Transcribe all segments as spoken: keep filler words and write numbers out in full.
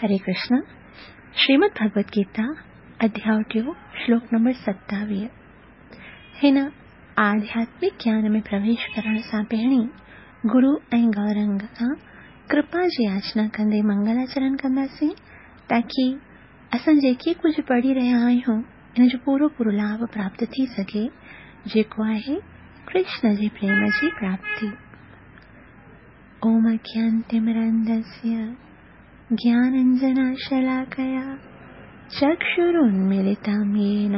हरे कृष्ण। श्रीमद् भगवद गीता अध्याय टियों श्लोक नंबर सत्तावीह। हिन आध्यात्मिक ज्ञान में प्रवेश करण सां पहिरीं गुरु ऐं गौरंग खां कृपा जी याचना कंदे मंगलाचरण कंदासीं ताकी असां जेके कुझु पढ़ी रहिया आहियूं इन जो पूरो पूरो लाभ प्राप्त थी सघे, जेको आहे कृष्ण जे प्रेम जी प्राप्ति। ओम अज्ञानतिमिरान्धस्य ज्ञानाञ्जनशलाकया चक्षुरुन्मीलितं येन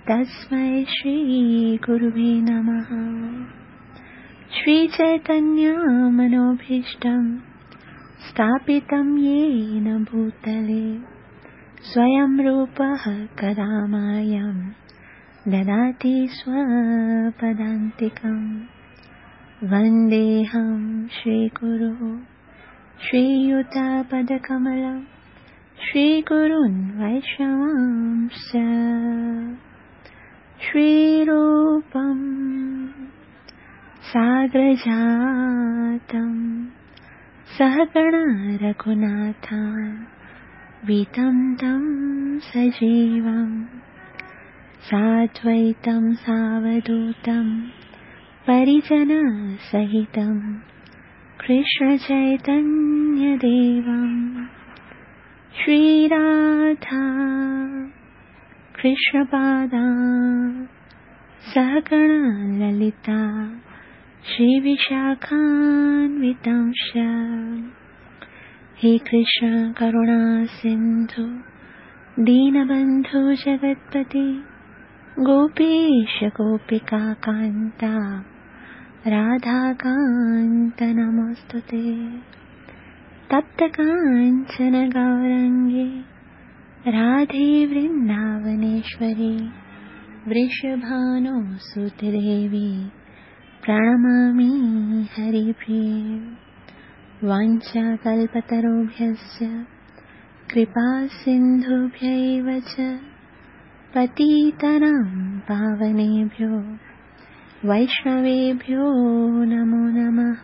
तस्मै श्रीगुरुवे नमः। श्रीचैतन्यमनोभीष्टं स्थापितं येन भूतले स्वयं रूपः कदा मायं ददाति स्वपदान्तिकं। वन्देऽहं श्रीगुरुः श्रीयुतपदकमलं श्रीगुरून् वैष्णवांश्च। श्रीरूपं साग्रजातं सहगण रघुनाथान्वितं तं सजीवं साद्वैतं सावधूतं परिजनसहितं कृष्णचैतन्यदेवं। श्रीराधा कृष्णपादा सहगण ललिता श्रीविशाखान्वितांश्च। हे कृष्ण करुणा सिन्धु दीनबन्धु जगत्पते गोपेश गोपिका कान्ता राधाकान्त नमोऽस्तुते। तप्त काञ्चन गौरङ्गे राधे वृन्दावनेश्वरी वृषभानुसुते देवी प्रणमामि हरिप्रिये। वाञ्छाकल्पतरुभ्यश्च कृपा सिन्धुभ्यैव च पतितानां पावनेभ्यो वैष्णवेभ्यो नमो नमः।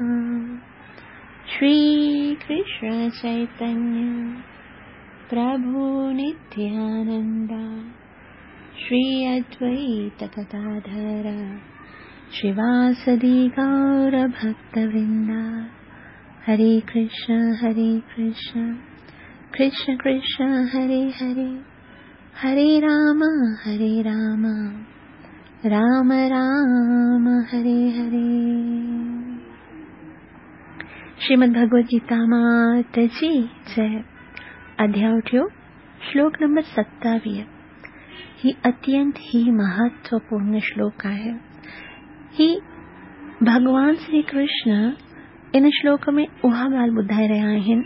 श्री कृष्ण चैतन्य प्रभु नित्यानंद श्री अद्वैत गदाधर श्रीवासदि गौर भक्तवृंद। हरे कृष्ण हरे कृष्ण कृष्ण कृष्ण हरे हरे, हरे राम हरे राम राम राम हरे हरे। श्रीमद् भगवद गीता मात जी जय। अध्याय टियों श्लोक नंबर सत्तावीह। ही अत्यंत ही महत्वपूर्ण श्लोक आहे। ही भगवान श्री कृष्ण इन श्लोक में उहा ॻाल्हि ॿुधाए रहिया आहिनि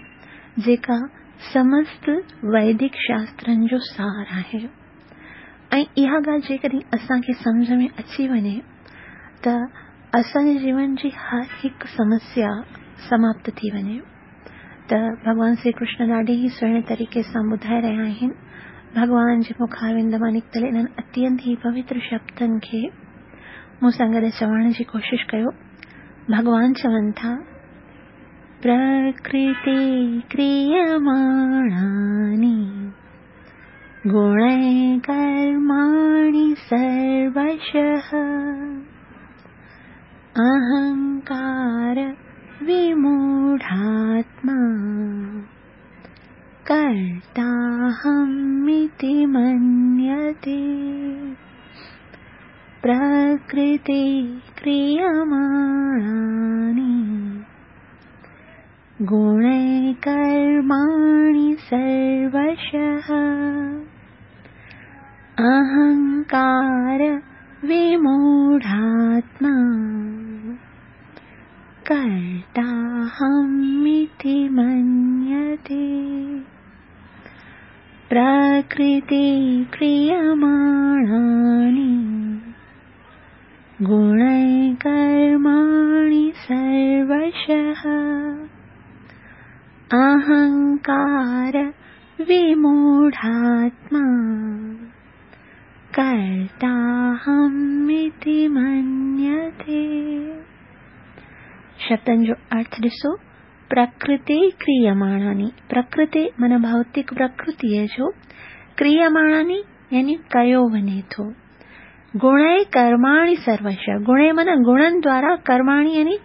जेका समस्त वैदिक शास्त्रनि जो सार आहे। ऐं इहा ॻाल्हि जेकॾहिं असांखे सम्झ में अची वञे त असांजे जीवन जी हर हिकु समस्या समाप्त थी वञे। त भॻवान श्री कृष्ण ॾाढे ई सुहिणे तरीक़े सां ॿुधाए रहिया आहिनि। भॻवान जे मुखारविंद मां निकितल इन्हनि अत्यंत ई पवित्र शब्दनि खे मूं सां गॾु चवण जी कोशिशि कयो। भॻवान चवनि था, प्रकृति क्रियमाणानि गुणैः कर्माणि सर्वशः अहंकार विमूढात्मा कर्ताहमिति मन्यते। प्रकृति क्रियमाणानि गुणैः कर्माणि सर्वशः अहंकार विमूढात्मा कर्ताहमिति मन्यते। प्रकृति क्रियमाणानि गुणैः कर्माणि सर्वशः अहंकार विमूढात्मा कर्ताहमिति मन्यते। शब्दनि जो अर्थ ॾिसो, प्रकृते क्रियमाणानि, प्रकृते माना भौतिक प्रकृतीअ जो, क्रियमाणानि यानी कयो वञे थो। गुणै कर्माणि सर्वश, गुणै माना गुणनि द्वारा, कर्माणि यानी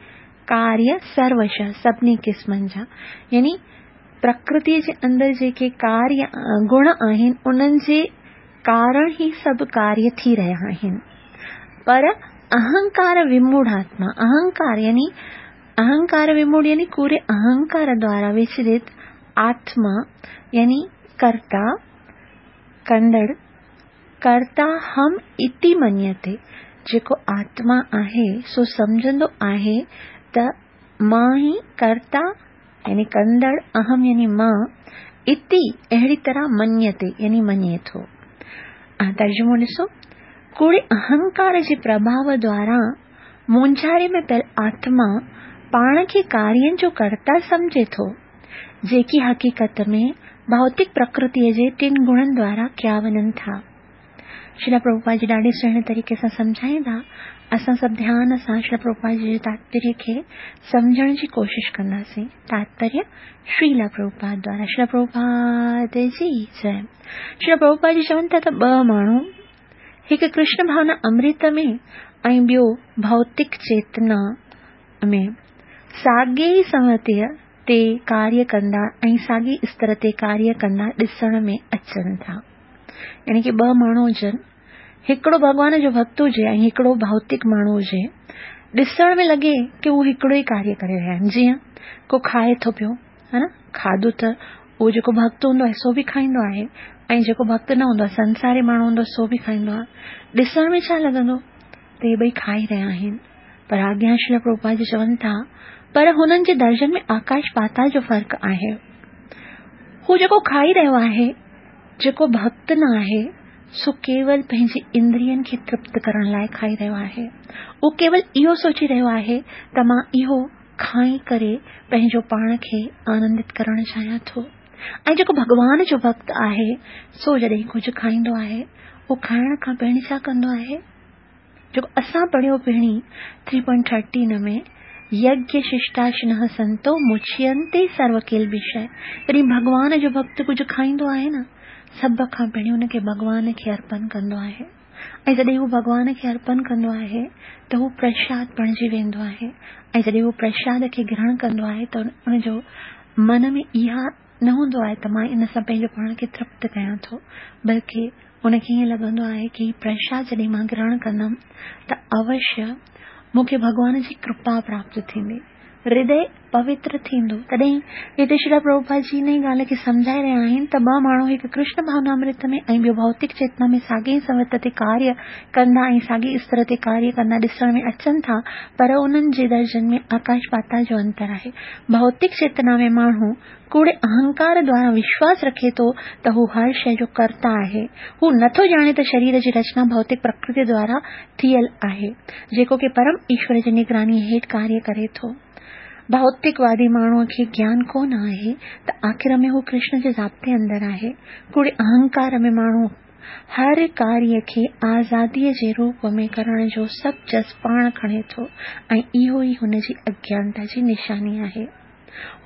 कार्य, सर्वश सभिनी क़िस्मनि जा, यानी प्रकृति जे अंदरि जेके कार्य गुण आहिनि उन्हनि जे कारण ही सभु कार्य थी रहिया आहिनि। पर अहंकार विमूढ़ आत्मा, अहंकार यानी अहंकार विमूढ़ यानी कूड़े अहंकार द्वारा विचलित आत्मा यानी कर्ता कंदड़, कर्ता हम इति मन्यते, जेको आत्मा आहे सो सम्झंदो आहे त मां ई कर्ता यानी कंदड़, अहम यानी मां, इति अहिड़ी तरह मन्यते यानी मञे थो। तर्जुमो ॾिसो, कूड़े अहंकार जे प्रभाव द्वारा मूंझारे में पियल आत्मा पाण खे कार्यनि जो कर्ता सम्झे थो, जेकी हक़ीक़त में भौतिक प्रकृतीअ जे टिनि गुणनि द्वारा कया वञनि था। श्रील प्रभुपाद जी ॾाढे सुहिणे तरीक़े सां सम्झाईंदा, असां सभु ध्यान सां श्रील प्रभुपाद जी जे तात्पर्य खे सम्झण जी कोशिशि कंदासीं। तात्पर्य श्रील प्रभुपाद द्वारा। श्रील प्रभुपाद जी जय। श्रील प्रभुपाद जी चवनि था त ॿ माण्हू, हिकु कृष्ण भावना अमृत में ऐं ॿियो भौतिक चेतना में, साॻे ई संवतीअ ते कार्य कंदा ऐं साॻी स्तर ते कार्य कंदा ॾिसण में अचनि था। यानी की ॿ माण्हू हुजनि, हिकिड़ो भॻवान जो भक्त हुजे ऐं हिकिड़ो भौतिक माण्हू हुजे, ॾिसण में लॻे की हू हिकिड़ो ई कार्य करे रहिया आहिनि। जीअं को खाए थो पियो, हा न, खाधो त उहो जेको भक्त हूंदो आहे सो बि खाईंदो आहे ऐं जेको भक्त न हूंदो आहे, संसारी माण्हू हूंदो सो बि खाईंदो आहे। ॾिसण में छा लॻंदो त इहे ॿई खाई रहिया आहिनि, पर अॻियां श्रील प्रभुपाद जी चवनि था पर हुननि जे दर्जनि में आकाश पाताल जो फ़र्क़ु आहे। हू जेको खाई रहियो आहे, जेको भक्त न आहे, सो केवल पंहिंजी इंद्रियनि खे तृप्त करण लाइ खाई रहियो आहे। उहो केवल इहो सोची रहियो आहे त मां इहो खाई करे पंहिंजो पाण खे आनंदित करण चाहियां थो। ऐं जेको भॻवान जो भक्त आहे सो जॾहिं कुझु खाईंदो आहे, उहो खाइण खां पहिरीं छा कंदो आहे, जेको असां पढ़ियो पहिरीं थ्री पॉइंट थर्टीन में, यज्ञ शिष्टाशिनः संतो मुच्यन्ते सर्वकिल्बिषः। जॾहिं भॻवान जो भक्त कुझु खाईंदो आहे न, सभ खां पहिरीं हुनखे भॻवान खे अर्पण कंदो आहे ऐं जॾहिं हू भॻवान खे अर्पण कंदो आहे त हू प्रसाद बणिजी वेंदो आहे ऐं जॾहिं हू प्रसाद खे ग्रहण कंदो आहे त हुनजो मन में इहा न हूंदो आहे त मां इन सां पंहिंजो पाण खे तृप्त कयां थो, बल्कि हुनखे ईअं लॻंदो आहे की प्रसाद जॾहिं मां ग्रहण कंदमि त अवश्य मूंखे भॻवान जी कृपा प्राप्त थींदी, हृदय पवित्र थींदो। तॾहिं हिते श्रील प्रभुपाद जी इन ई ॻाल्हि खे सम्झाए रहिया आहिनि त ॿ माण्हू, हिकु कृष्ण भावनामृत में ऐं ॿियो भौतिक चेतना में साॻे संवत ते कार्य कंदा ऐं साॻी स्तर ते कार्य कंदा ॾिसण में अचनि था, पर उन्हनि जे दर्जनि में आकाश पाताल जो अंतर आहे। भौतिक चेतना में माण्हू कूड़े अहंकार द्वारा विश्वास रखे थो त हू हर शइ जो कर्ता आहे। हू नथो ॼाणे त शरीर जी रचना भौतिक प्रकृति द्वारा थियल आहे, जेको की परम ईश्वर जी निगरानी हेठि कार्य करे थो। भौतिकवादी माण्हूअ खे ज्ञान कोन आहे त आख़िर में हू कृष्ण जे ज़ाब्ते अंदरि आहे। कूड़े अहंकार में माण्हू हर कार्य खे आज़ादीअ जे रूप में करण जो सभु जस पाण खणे थो ऐं इहो ई हुन जी अज्ञानता जी निशानी आहे।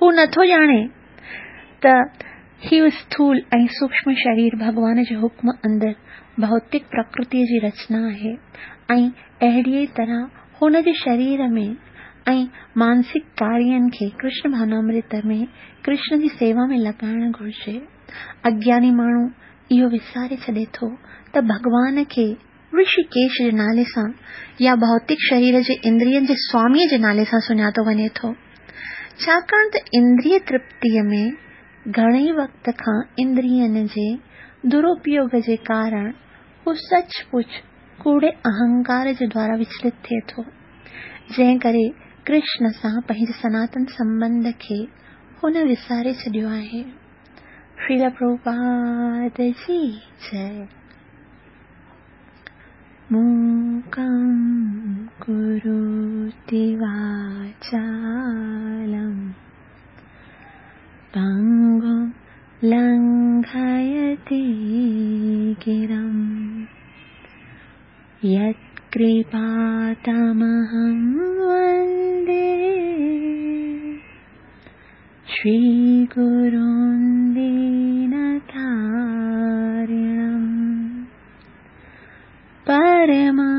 हू नथो ॼाणे त हीउ स्थूल ऐं सूक्ष्म शरीर भॻवान जे हुक्म अंदरि भौतिक प्रकृतिअ जी रचना आहे ऐं अहिड़ीअ तरह हुन जे शरीर में ऐं मानसिक कार्यनि खे कृष्ण भावनामृत में कृष्ण जी सेवा में लॻाइणु घुरिजे। अज्ञानी माण्हू इहो विसारे छॾे थो त भॻवान खे ऋषिकेश जे नाले सां या भौतिक शरीर जे इंद्रियनि जे स्वामीअ जे नाले सां सुञातो वञे थो, छाकाणि त इंद्रिय तृप्तीअ में घणे वक़्त खां इंद्रियनि जे दुरुपयोग जे कारण हू सच पुच कूड़े अहंकार जे द्वारा विचलित थिए थो, जंहिं करे कृष्ण सां पंहिंजे सनातन संबंध खे हुन विसारे छॾियो आहे। श्रील प्रभुपाद जी जय। मूकं करोति वाचालं पङ्गुं लङ्घयति गिरिं, यत्कृपातमहं वन्दे श्री गुरुं दीनतारिणं परमानन्दमाधवं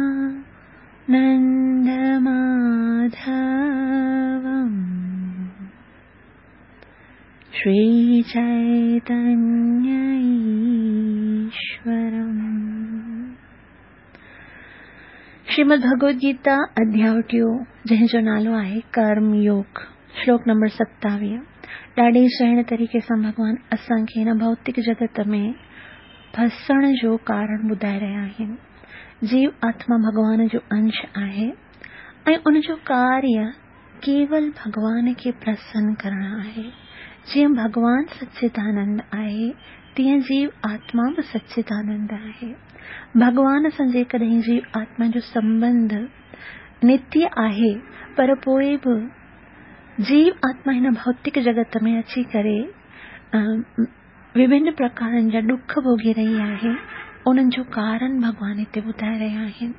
श्री चैतन्य ईश्वरम्। श्रीमद् भगवद गीता अध्याय टियों जंहिंजो नालो आहे कर्म योग, श्लोक नंबर सतावीह। ॾाढे सुहिणे तरीक़े सां भॻवान असांखे हिन भौतिक जगत में फसण जो कारण ॿुधाए रहिया आहिनि। जीव आत्मा भॻवान जो अंश आहे ऐं उनजो कार्य केवल भॻवान खे प्रसन्न करणु आहे। जीअं भॻवान सच्चिदानंद आहे तीअं जीव आत्मा बि सच्चिदानंद आहे। भॻवान सां जेकॾहिं जीव आत्मा जो संबंध नित्य आहे, पर पोइ बि जीव आत्मा हिन भौतिक जगत में अची करे विभिन्न प्रकारनि जा ॾुख भोगी रही आहे, उन्हनि जो कारण भॻवान हिते ॿुधाए रहिया आहिनि।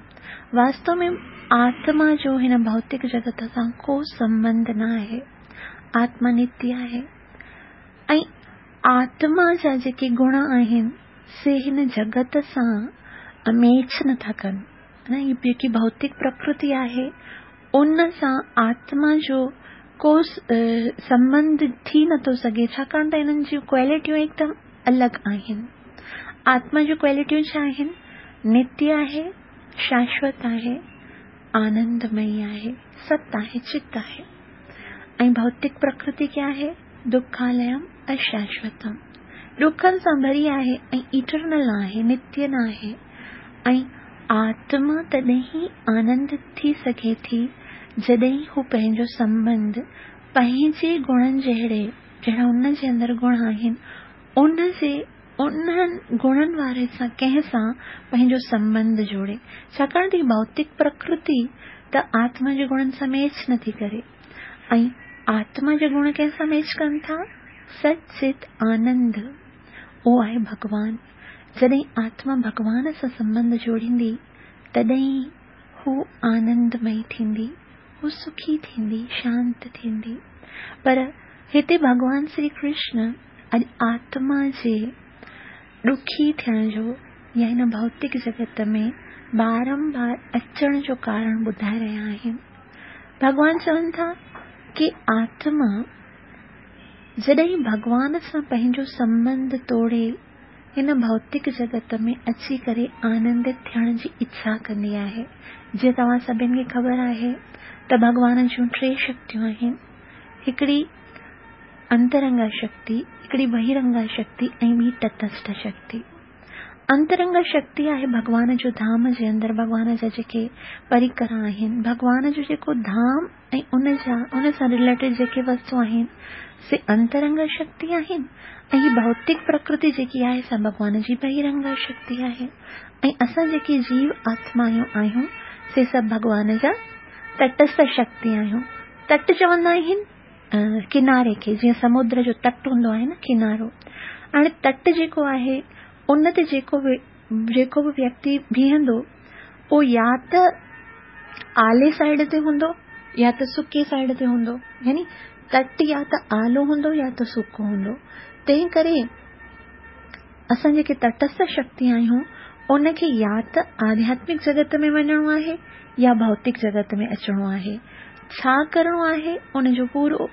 वास्तव में आत्मा जो हिन भौतिक जगत सां को संबंध न आहे। आत्मा नित्य आहे ऐं आत्मा जा जेके गुण आहिनि से हिन जगत सां मेच नथा कनि। न हीअ जेकी भौतिक प्रकृति आहे उन सां आत्मा जो को संबंध थी नथो सघे, छाकाणि त हिननि जूं क्वालिटियूं एकदम अलॻि आहिनि। आत्मा जूं क्वालिटियूं छा आहिनि? नित्य आहे, शाश्वत आहे, आनंदमयी आहे, सत आहे, चित आहे। ऐं भौतिक प्रकृति क्या आहे? दुखालयम अशाश्वतम, ॾुखनि सां भरी आहे ऐं इटरनल आहे, नित्य न आहे। ऐं आत्मा तॾहिं ई आनंद थी सघे थी जॾहिं हू पंहिंजो संबंध पंहिंजे गुणनि जहिड़े, जहिड़ा उन जे अंदरि गुण आहिनि, उन जे उन्हनि गुणनि वारे सां कंहिं सां पंहिंजो संबंध जोड़े। छाकाणि त भौतिक प्रकृति त आत्मा जे गुणनि सां मैच नथी करे ऐं आत्मा जा गुण कंहिं सां मैच कनि था? सचित आनंद, उहो आहे भॻवान। जॾहिं आत्मा भॻवान सां संबंध जोड़ींदी तॾहिं हू आनंदमयी थींदी, हू सुखी थींदी, शांत थींदी। पर हिते भॻवान श्री कृष्ण अॼु आत्मा जे ॾुखी थियण जो या हिन भौतिक जगत में बारंबार अचण जो कारण ॿुधाए रहिया आहिनि। भॻवान चवनि था कि आत्मा जॾहिं भॻवान सां पंहिंजो संबंध तोड़े हिन भौतिक जगत में अची करे आनंदित थियण जी इच्छा कंदी आहे। जीअं तव्हां सभिनी खे ख़बर आहे त भॻवान जूं टे शक्तियूं आहिनि, हिकिड़ी अंतरंगा शक्ति, हिकिड़ी बहिरंगा शक्ति ऐं ॿी तटस्थ शक्ति। अंतरंगा शक्ति आहे भॻवान जो धाम जे अंदरि भॻवान जा जेके परिकर आहिनि, भॻवान जो जेको धाम ऐं उन जा उन सां रिलेटेड जेके वस्तु आहिनि से अंतरंगा शक्ति आहिनि। ऐं हीअ भौतिक प्रकृति जेकी आहे सा भॻवान जी बहिरंगा शक्ति आहे। ऐं असां जेके जीव आत्मायूं आहियूं से सभु भॻवान जा तटस्थ शक्ति आहियूं। तट चवंदा आहिनि किनारे खे, जीअं समुद्र जो तट हूंदो आहे न, किनारो। हाणे तट जेको आहे उन ते जेको बि जेको बि व्यक्ति बीहंदो उहो या त आले साइड ते हूंदो या त सुके साइड ते हूंदो, यानी तट या त आलो हूंदो या त सुको हूंदो। तंहिं करे असां जेके तटस्थ शक्ति आहियूं उनखे या त आध्यात्मिक जगत में वञिणो आहे या भौतिक जगत में अचिणो आहे। छा करिणो आहे उनजो पूरो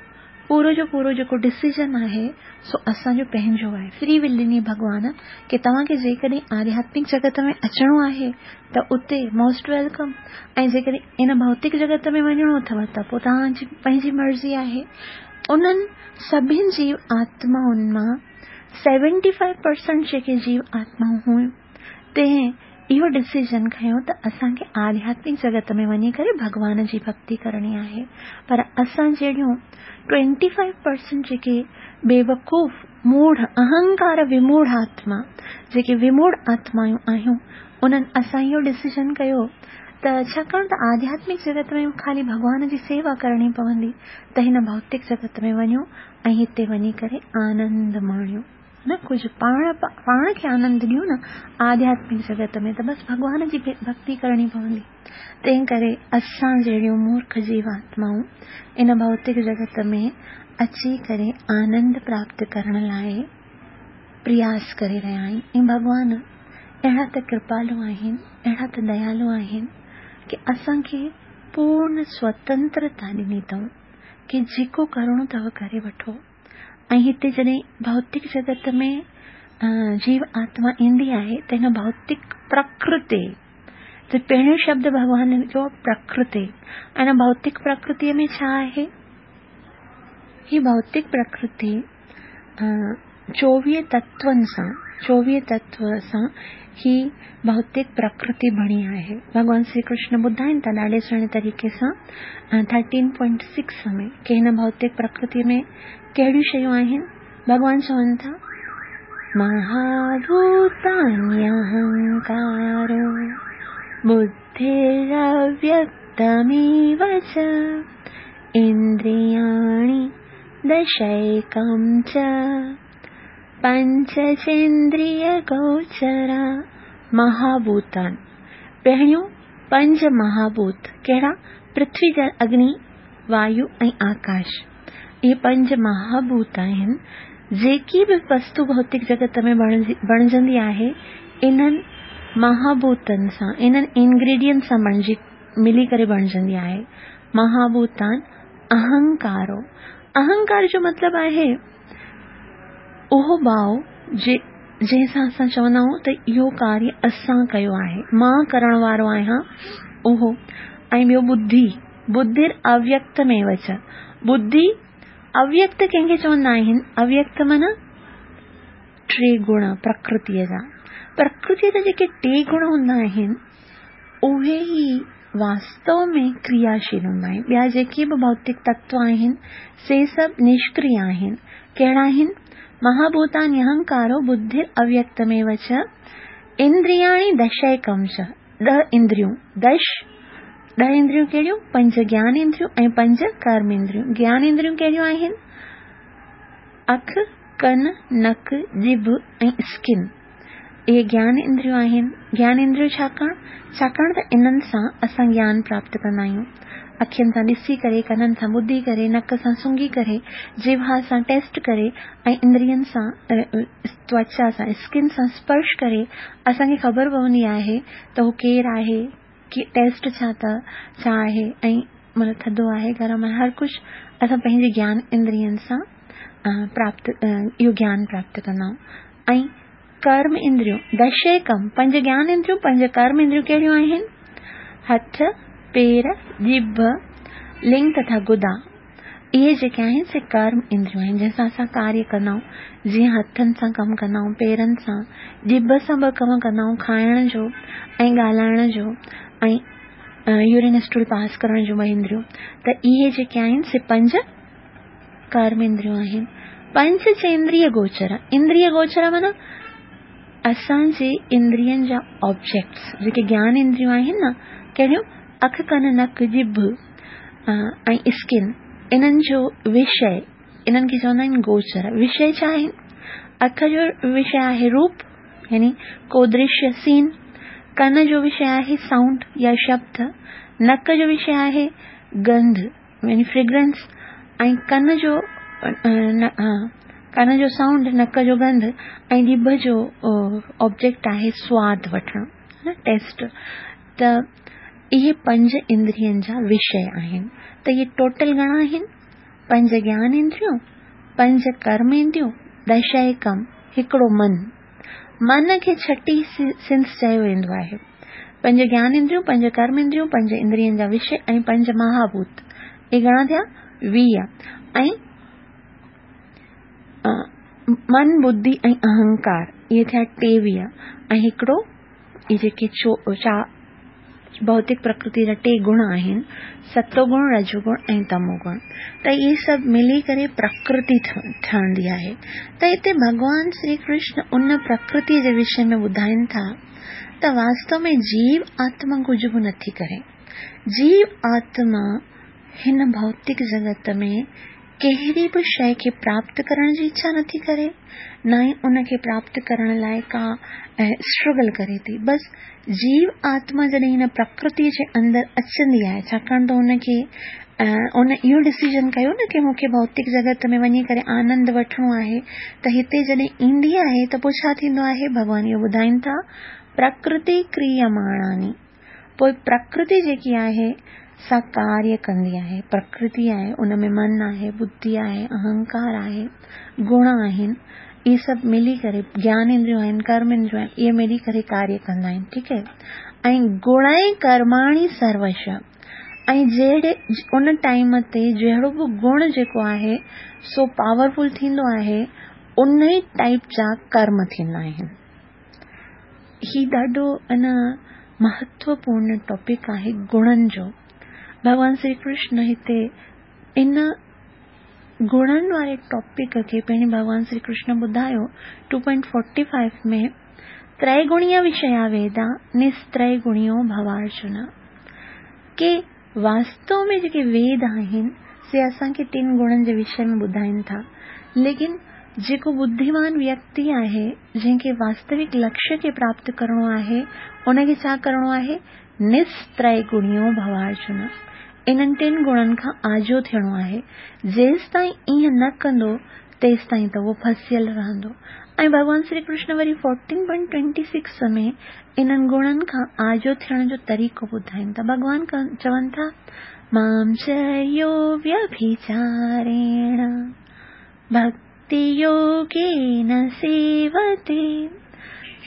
पूरो जो पूरो जेको डिसीजन आहे सो असांजो पंहिंजो आहे। फ्री will ॾिनी भॻवान की तव्हांखे जेकॾहिं आध्यात्मिक जगत में अचिणो आहे त उते मोस्ट welcome, ऐं जेकॾहिं इन भौतिक जगत में वञिणो अथव त पोइ तव्हांजी पंहिंजी मर्ज़ी आहे। उन्हनि सभिनी जीव आत्माउनि मां सेवेंटी फाइव परसेंट जेके जीव आत्माऊं हुयूं तंहिं इहो डिसीजन खयो त असांखे आध्यात्मिक जगत में वञी करे भॻवान जी भक्ति करणी आहे। पर असां जहिड़ियूं ट्वेंटी फाइव परसेंट जेके बेवकूफ़ मूढ़ अहंकार विमूढ़ आत्मा जेके विमूढ़ आत्मायूं आहियूं उन्हनि असां इहो डिसीजन कयो त छाकाणि त आध्यात्मिक जगत में ख़ाली भॻवान जी सेवा करणी पवंदी त हिन भौतिक जगत में वञूं ऐं हिते वञी करे आनंद माणियूं, न कुझु पाण पाण खे आनंद ॾियूं न आध्यात्मिक जगत में, त बसि भॻवान जी भक्ति करणी पवंदी। तंहिं करे असां जहिड़ियूं मूर्ख जीवात्माऊं इन भौतिक जगत में अची करे आनंद प्राप्त करण लाइ प्रयास करे रहिया आहिनि। ऐं भॻवान अहिड़ा त कृपालु आहिनि, अहिड़ा त दयालु आहिनि की असांखे पूर्ण स्वतंत्रता ॾिनी अथऊं की जेको करिणो अथव करे वठो। ऐं हिते जॾहिं भौतिक जगत में जीव आत्मा ईंदी आहे त हिन भौतिक प्रकृति, त पहिरियों शब्द भॻवान जो प्रकृति, ऐं भौतिक प्रकृतीअ में छा आहे? ही भौतिक प्रकृति चोवीह तत्वनि सां, चोवीह तत्व सां ही भौतिक प्रकृति बणी आहे। भॻवान श्री कृष्ण ॿुधाइनि था ॾाढे सुहिणे तरीक़े सां थर्टीन पॉइंट सिक्स में की हिन भौतिक प्रकृति में कहिड़ियूं शयूं आहिनि। भॻवान चवनि था महाभूतान्यहंकारो बुद्धिरव्यक्तमेव च इन्द्रियाणि दशैकं च पंचचेन्द्रियगोचरा। महाभूतान पहिरियों पंज महाभूत कहिड़ा? पृथ्वी, जल, अग्नि, वायु ऐं आकाश। इहे पंज महाभूत आहिनि। जेकी बि वस्तु भौतिक जगत में बणिजंदी आहे इन्हनि महाभूतनि सां, इन्हनि इंग्रीडियंट सां बणिजी मिली करे बणिजंदी आहे। महाभूतान अहंकारो, अहंकार जो मतिलबु आहे उहो भाव जे जंहिंसां असां चवंदा आहियूं त इहो कार्य असां कयो आहे, मां करण वारो आहियां उहो। ऐं ॿियो बुद्धि, बुद्धिर अव्यक्तमेव च। बुद्धि अव्यक्त कंहिंखे चवंदा आहिनि? अव्यक्त माना टे गुण प्रकृतीअ जा। प्रकृतीअ जा जेके टे गुण हूंदा आहिनि उहे ई वास्तव में क्रियाशील हूंदा आहिनि। ॿिया जेके बि भौतिक तत्व आहिनि से सभु निष्क्रिय आहिनि। कहिड़ा आहिनि? महाभूतानि अहंकारो बुद्धिर अव्यक्तमेव च इंद्रियाणि दशैकं च। ॾह इंद्रियूं, दश ॾह इंद्रियूं कहिड़ियूं? पंज ज्ञान इंद्रियूं ऐं पंज कर्म इंद्रियूं। ज्ञान इंद्रियूं कहिड़ियूं आहिनि? अखि, कन, नक, जिभ ऐं स्किन। इहे ज्ञान इंद्रियूं आहिनि। ज्ञान इंद्रियूं छाकाणि छाकाणि त इन्हनि सां असां ज्ञान प्राप्त कंदा आहियूं। अखियुनि सां ॾिसी करे, कननि सां ॿुधी करे, नक सां सुंघी करे, जिह्वा सां टेस्ट करे ऐं इंद्रियनि सां त्वचा सां स्किन सां स्पर्श करे असांखे ख़बर पवंदी आहे त हू केरु आहे, की टेस्ट छा त छा आहे ऐं मतिलबु थधो आहे गरम आहे, हर कुझु असां पंहिंजे ज्ञान इंद्रियनि सां प्राप्त इहो ज्ञान प्राप्त कंदा आहियूं। ऐं कर्म इंद्रियूं दशैकम, पंज ज्ञान इंद्रियूं पंज कर्म इंद्रियूं कहिड़ियूं आहिनि? हथ, पेर, जिभ, लिंग तथा गुदा। इहे जेके आहिनि से कर्म इंद्रियूं आहिनि जंहिंसां असां कार्य कंदा आहियूं। जीअं हथनि सां कमु कंदा आहियूं, पेरनि सां, जिभ सां बि कमु कंदा आहियूं, खाइण जो ऐं ॻाल्हाइण जो ऐं यूरिन स्टूल पास करण जूं ॿ इंद्रियूं। त इहे जेके आहिनि से पंज कर्म इंद्रियूं आहिनि। पंज चेंद्रिय गोचर, इंद्रिय गोचर माना असांजे इंद्रियनि जा ऑब्जेक्ट्स, जेके ज्ञान इंद्रियूं आहिनि न, कहिड़ियूं? अखि, कन, नक, जिभ ऐं स्किन, इन्हनि जो विषय, इन्हनि खे चवंदा आहिनि गोचर। विषय छा आहिनि? अख जो विषय आहे रूप यानी को दृश्य सीन, कन जो विषय आहे साउंड या शब्द, नक जो विषय आहे गंध यानी फ्रेग्रेंस, ऐं कन जो कन जो साउंड, नक जो गंध ऐं जिभ जो ऑब्जेक्ट आहे स्वाद वठणु, टेस्ट। त इहे पंज इंद्रियनि जा विषय आहिनि। त इहे टोटल घणा आहिनि? पंज ज्ञान इंद्रियूं, पंज कर्म इंद्रियूं, दशैकम, हिकिड़ो मन। मन खे छठी सेंस चयो वेंदो आहे। पंज ज्ञान इंद्रियूं, पंज कर्म इंद्रियूं, पंज इंद्रियनि जा विषय ऐं पंज महाभूत। इहे घणा थिया? वीह। ऐं मन, बुद्धि ऐं अहंकार, इहे थिया टेवीह। ऐं हिकिड़ो इहे जेके चा भौतिक प्रकृति जा टे गुण आहिनि, सतोगुण, रजोगुण ऐं तमोगुण। त इहे सभु मिली करे प्रकृति ठहंदी आहे। त हिते भॻवान श्री कृष्ण उन प्रकृति जे विषय में ॿुधाइनि था त वास्तव में जीव आत्मा कुझु बि नथी करे। जीव आत्मा हिन भौतिक जगत में कहिड़ी बि शइ खे प्राप्त करण जी इच्छा नथी करे, न ई उनखे प्राप्त करण लाइ का स्ट्रगल करे थी। बसि जीव आत्मा जॾहिं हिन प्रकृति जे अंदरि अचंदी आहे, छाकाणि त हुनखे उन इहो डिसीजन कयो न की मूंखे भौतिक जगत में वञी करे आनंद वठिणो आहे, त हिते जॾहिं ईंदी आहे त पोइ छा थींदो आहे? भॻवान इहो ॿुधाइनि था, प्रकृति क्रियमाणानि, पोइ प्रकृति जेकी आहे सा कार्य कंदी आहे। प्रकृति आहे, उन में मन आहे, बुद्धि आहे, अहंकार आहे, गुण आहिनि, इहे सभु मिली करे ज्ञान इंद्रियूं आहिनि, कर्म इंद्रियूं आहिनि, इहे मिली करे कार्य कंदा आहिनि। ठीकु आहे। ऐं गुण कर्माणि सर्वश, ऐं जहिड़े उन टाइम ते जहिड़ो बि गुण जेको आहे सो पावरफुल थींदो आहे, उन ई टाइप जा कर्म थींदा आहिनि। ही ॾाढो अन महत्वपूर्ण टॉपिक आहे गुणनि जो। भॻवान श्री कृष्ण हिते इन गुणनि वारे टॉपिक खे पहिरीं भॻवान श्री कृष्ण ॿुधायो टू पॉइंट फोर्टी फाइव में, त्रैगुणीय विषया वेदा निस्त्रैगुणियो भवार्जुन, के वास्तव में जेके वेद आहिनि से असांखे टिनि गुणनि जे विषय में ॿुधाइनि था, लेकिन जेको बुद्धिमान व्यक्ति आहे जंहिंखे वास्तविक लक्ष्य खे प्राप्त करिणो आहे, उनखे छा करिणो आहे? निस्त्रैगुणियो भवार्जुन, इन्हनि टिनि गुणनि खां आजो थियणो आहे। जेसि ताईं ईअं न कंदो तेसि ताईं त उहो फसियल रहंदो। ऐं भॻवान Shri Krishna worry fourteen point twenty six में इन्हनि गुणनि खां आजो थियण जो तरीक़ो ॿुधाइनि था। भॻवान चवनि था, मां च यो व्यभिचारेण भक्तियोगेन सेवते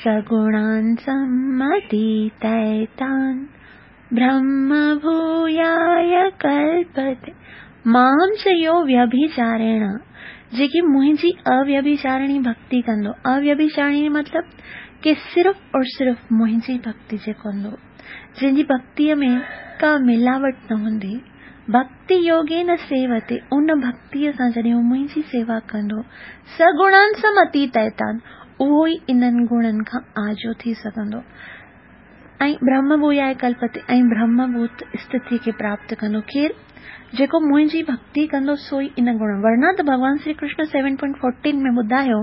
सगुणान् सम्मतीतैतान् ब्रह्म भूयाय कल्पते। मां च यो व्यभिचारेण, जेकी मुंहिंजी अव्यभिचारिणी भक्ति कंदो। अव्यभिचारिणी मतलब कि सिर्फ़ और सिर्फ़ मुंहिंजी भक्ति जेको कंदो, जंहिंजी भक्तीअ में का मिलावट न हूंदी। भक्ति योगे न सेवते, उन भक्तीअ सां जॾहिं हू मुंहिंजी सेवा कंदो, सगुणान् समतीतैतान्, उहो ई इन्हनि गुणनि खां आजो थी सघंदो। ऐं ब्रह्म भूयाय कल्पते, ऐं ब्रह्मभूत स्थिति खे प्राप्त कंदो। केरु? जेको मुंहिंजी भक्ति कंदो सो ई इन गुण। वरना त भॻवान Shri Krishna seven point fourteen में ॿुधायो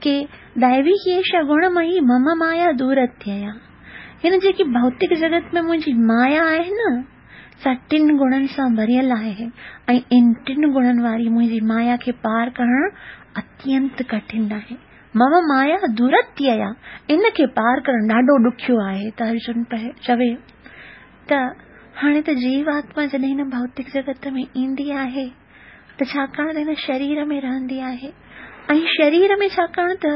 की दैवी एषा गुणमयी मम माया दूरत्यया, हिन जेकी भौतिक जगत में मुंहिंजी माया आहे न, सा टिनि गुणनि सां भरियल आहे, ऐं इन टिनि गुणनि वारी मुंहिंजी माया खे पार करणु अत्यंत कठिन आहे। मम माया दूरत्यया, इन खे पार करणु ॾाढो ॾुखियो आहे। त अर्जुन चवे त हाणे त जीव आत्मा जॾहिं हिन भौतिक जगत में ईंदी आहे त छाकाणि त हिन शरीर में रहंदी आहे, ऐं शरीर में छाकाणि त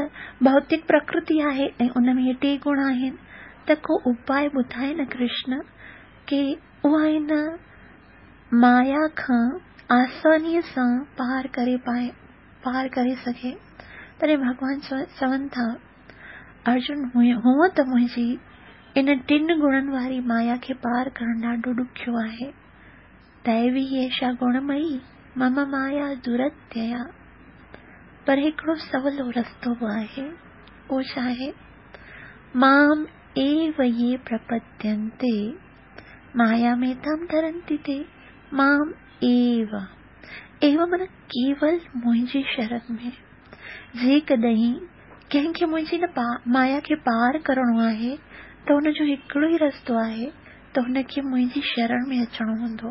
भौतिक प्रकृति आहे ऐं उन में इहे टे गुण आहिनि, त को उपाय ॿुधाए न कृष्ण की उहा हिन माया खां आसानीअ सां पार करे पाए, पार करे सघे। तॾहिं भॻवान चवनि था, अर्जुन हूअं त मुंहिंजी इन टिनि गुणनि वारी माया खे पार करणु ॾाढो ॾुखियो आहे। दैवी एषा गुणमयी मम माया दुरत्यया, पर हिकिड़ो सवलो रस्तो बि आहे, उहो छा आहे? माम एव ये प्रपद्यन्ते मायामेतां तरन्ति ते। माम एव, एव माना केवल मुंहिंजी शरण में। जेकॾहिं कंहिंखे मुंहिंजी न माया खे पार करिणो आहे त हुनजो हिकिड़ो ई रस्तो आहे त हुनखे मुंहिंजी शरण में अचिणो हूंदो।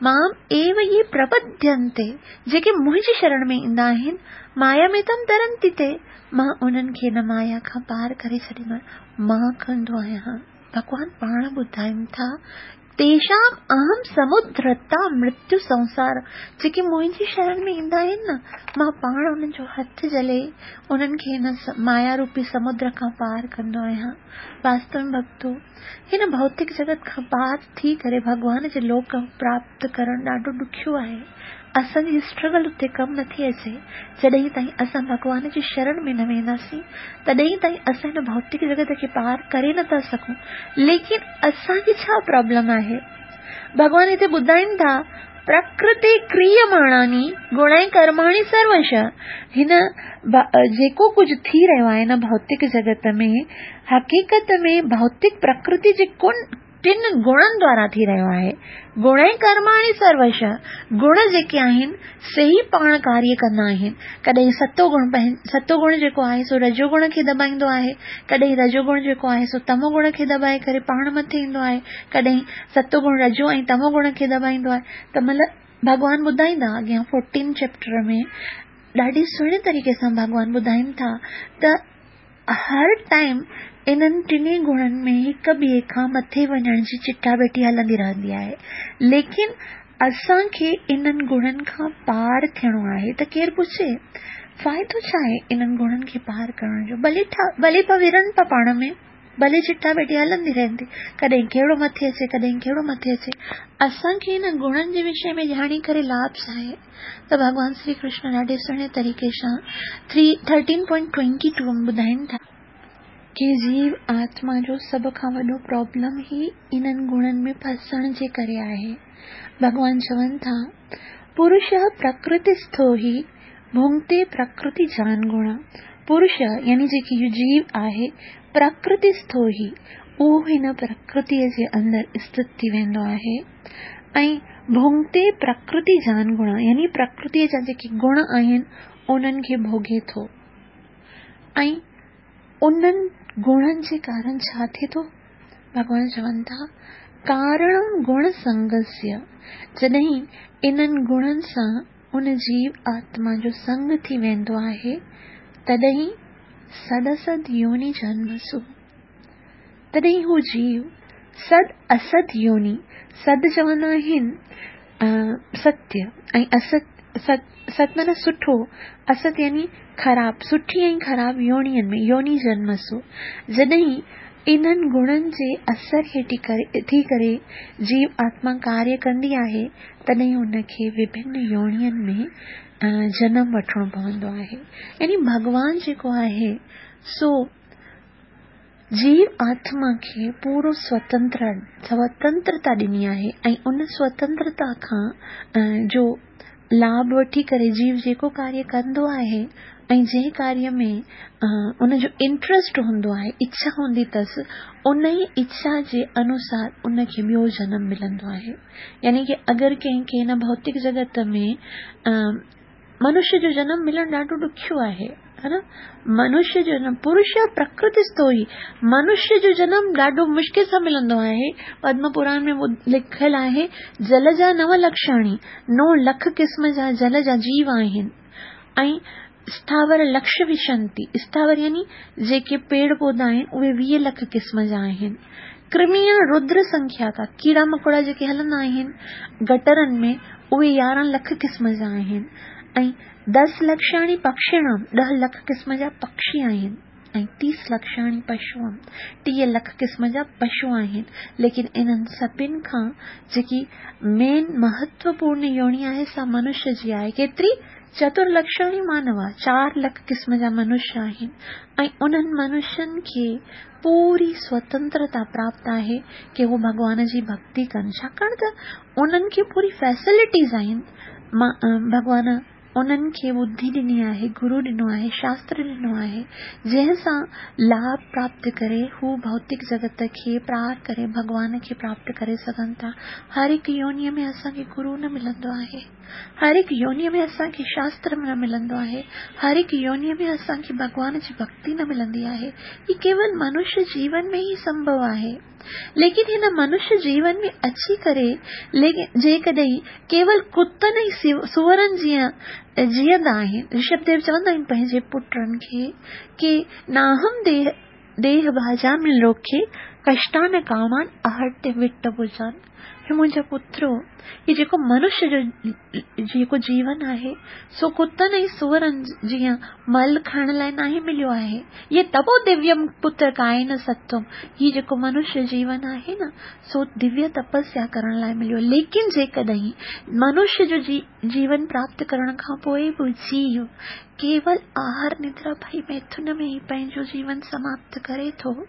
माम एव ये प्रपद्यन्ते, जेके मुंहिंजी शरण में ईंदा आहिनि, माया में तम तरन्ति ते, मां उन्हनि खे हिन माया खां पार करे छॾींदो आहियां, मां कंदो आहियां। भॻवान पाण ॿुधाइनि था, तेषाम् अहं समुद्रता मृत्यु संसार, जेके मुंहिंजी शरण में ईंदा आहिनि न, मां पाण उन्हनि जो हथु जले उन्हनि खे हिन माया रूपी समुद्र खां पार कंदो आहियां। वास्तव में भक्तो, हिन भौतिक जगत खां पार थी करे भॻवान जे लोक प्राप्त करणु ॾाढो ॾुखियो आहे। असांजी स्ट्रगल उते कमु नथी अचे। जॾहिं ताईं असां भॻवान जी शरण में न वेंदासीं तॾहिं ताईं असां हिन भौतिक जगत खे पार करे नथा सघूं। लेकिन असांजी छा प्रॉब्लम आहे? भॻवान हिते ॿुधाइनि था, प्रकृति क्रियमाणानि गुणै कर्माणि सर्वश। हिन जेको कुझु थी रहियो आहे हिन भौतिक जगत में, हक़ीक़त में भौतिक प्रकृति जे ٽن گڻن دوارا ٿي رهيو آهي. گڻ ڪرماڻي سروش، گڻ جيڪي آهن سي ئي پاڻ ڪاريه ڪندا آهن. ڪڏهن ستو گڻ ستو گڻ جيڪو آهي سو رجو گڻ کي دٻائيندو آهي، ڪڏهن رجو گڻ جيڪو آهي سو تمو گڻ کي دٻائي ڪري پاڻ مٿي ايندو آهي، ڪڏهن ستو گڻ رجو ۽ تمو گڻ کي دٻائيندو آهي. ته مطلب ڀڳوان ٻڌائيندا اڳيان فورٽين چيپٽر ۾ ڏاڍي سهڻي طريقي سان ڀڳوان ٻڌائين ٿا ته هر ٽائيم انهن ٽنهي گڻن ۾ هڪ ٻئي کان مٿي وڃڻ جي چٽاڀيٽي هلندي رهندي آهي. ليڪن اسان کي انهن گڻن کان پار ٿيڻو آهي ته ڪير پڇي فائدو ڇا آهي انهن گڻن کي پار ڪرڻ جو؟ ڀلي ڀلي پا ورن پا پاڻ ۾، ڀلي چٽاڀيٽي هلندي رهندي، ڪڏهن ڪهڙو مٿي اچي ڪڏهن ڪهڙو مٿي اچي. اسان کي هن گڻن جي وشي ۾ ڄاڻي ڪري لاڀ ڇا آهي؟ ته ڀڳوان شري ڪرشن ڏاڍي سهڻي طريقي سان three thirteen point twenty two ۾ ٻڌائين ٿا ڪي جيو آتما جو سڀ کان وڏو پرابلم ئي انهن گڻن ۾ ڦسڻ جي ڪري آهي. ڀڳوان چون ٿا، پرش پرڪرتي-سٿو هي ڀونگتي پرڪرتي جان گڻ. پرش يعني جيڪي اهو جيو آهي، پرڪرتي-سٿو هي، اهو هن پرڪرتيء جي اندر اسٿت ٿي ويندو آهي ۽ ڀونگتي پرڪرتي جان گڻ يعني پرڪرتيء جا جيڪي گڻ آهن انهن کي ڀوڳي ٿو ۽ انهن گڻن جي ڪارڻ ڇا ٿئي ٿو؟ ڀڳوان چون ٿا، ڪارڻم گڻ سنگسيه، جڏهن انهن گڻن سان ان جيو آتما جو سنگ ٿي ويندو آهي تڏهن سد اسد يوني جنمسو، تڏهن هو جيو سد اسد يوني، سد چوندا آهن ستيه ۽ اسد ست ست معنيٰ سٺو، اسد يعني خراب، سٺي ۽ خراب يونين ۾ يوني جنمسو، جڏهن انهن گڻن جي اثر هيٺ ٿي ڪري جيو آتما ڪاريه ڪندي آهي تڏهن ان کي وڀن يونين ۾ جنم وٺڻو پوندو آهي. يعني ڀڳوان جيڪو آهي سو جيو آتما کي پورو سوتنتر سوتنترتا ڏني آهي ۽ ان سوتنترتا کان جو لاڀ وٺي ڪري جيو جيڪو ڪاريه ڪندو آهي ۽ جنهن ڪاريه ۾ ان جو انٽرسٽ هوندو آهي، اڇا هوندي اٿس، ان ئي اڇا جي انوسار ان کي ٻيو جنم ملندو آهي. يعني ڪه اگر ڪنهن کي هن ڀوتڪ جڳت ۾ منشيه جو جنم ملڻ ڏاڍو ڏکيو آهي، ها نه؟ منشيه جو جنم پرش پرڪرتي-سٿو هي، منشيه جو جنم ڏاڍو مشڪل سان ملندو آهي. پدم پراڻ ۾ لکيل آهي، جل جا نو لکشاڻي، نو لک قسم جا جل جا جيو آهن ۽ اسٿاور لکش وشنتي، اسٿاور يعني جيڪي پيڙ پوڌا آهن اهي ويهه لک قسم جا آهن. ڪرميڻ ردر سنکياڪا، ڪيڙا مڪوڙا جيڪي هلندا آهن گٽرن ۾ اهي يارهن لک قسم جا آهن ۽ دس لکشاڻي پکشڻم، ڏهه لک قسم جا پکشي آهن ۽ تيس لکشاڻي پشوم، ٽيهه لک قسم جا پشو آهن. ليڪن انهن سڀن کان جيڪي مين مهتوپورڻ يوني آهي سا منشيه جي آهي. ڪيتري؟ چتر لکشاڻي مانوا، چار لک قسم جا منشيه آهن ۽ انهن منشين کي پوري سوتنترتا پراپت آهي ڪي هو ڀڳوان جي ڀڳتي ڪن، ڇاڪاڻ ته انهن کي پوري فيسلٽيز آهن. ڀڳوان انهن کي ٻڌي ڏني آهي، گرو ڏنو آهي، شاستر ڏنو آهي، جنهن سان لاڀ پراپت ڪري هو ڀوتڪ جڳت کي پار ڪري ڀڳوان کي پراپت ڪري سگهن ٿا. هر هڪ يونيء ۾ اسان کي گرو نه ملندو آهي، هر هڪ يونيء ۾ اسان کي شاستر نه ملندو آهي، هر هڪ يونيء ۾ اسان کي ڀڳوان جي ڀڳتي نه ملندي آهي. هي ڪيول منشيه جيون ۾ ئي سنڀو آهي. ليڪن هن منشيه جيون ۾ اچي ڪري جيڪڏهن ڪيول ڪتن ۽ سوئرن جيئن جيئندا آهن، رشڀ ديو چوندا آهن پنهنجي پٽن کي ڪي ناهم ديهه ديهه ڀاجامي لوڪي ڪشٽان ڪامان اهٽ وٽ ڀجان. هي منهنجا پترو، هي جيڪو منشيه جو جيڪو جيون آهي سو ڪتن ۽ سوئرن جيئن مل کائڻ لاء ناهي مليو آهي. هي تپو دويم پتر ڪائن ستم، هي جيڪو منشيه جيون آهي نه سو دويه تپسيا ڪرڻ لاء مليو. ليڪن جيڪڏهن منشيه جو جيون پراپت ڪرڻ کان پوء به جيو ڪيول آهار ندرا ڀئي ميٿن ۾ ئي پنهنجو جيون سماپت ڪري ٿو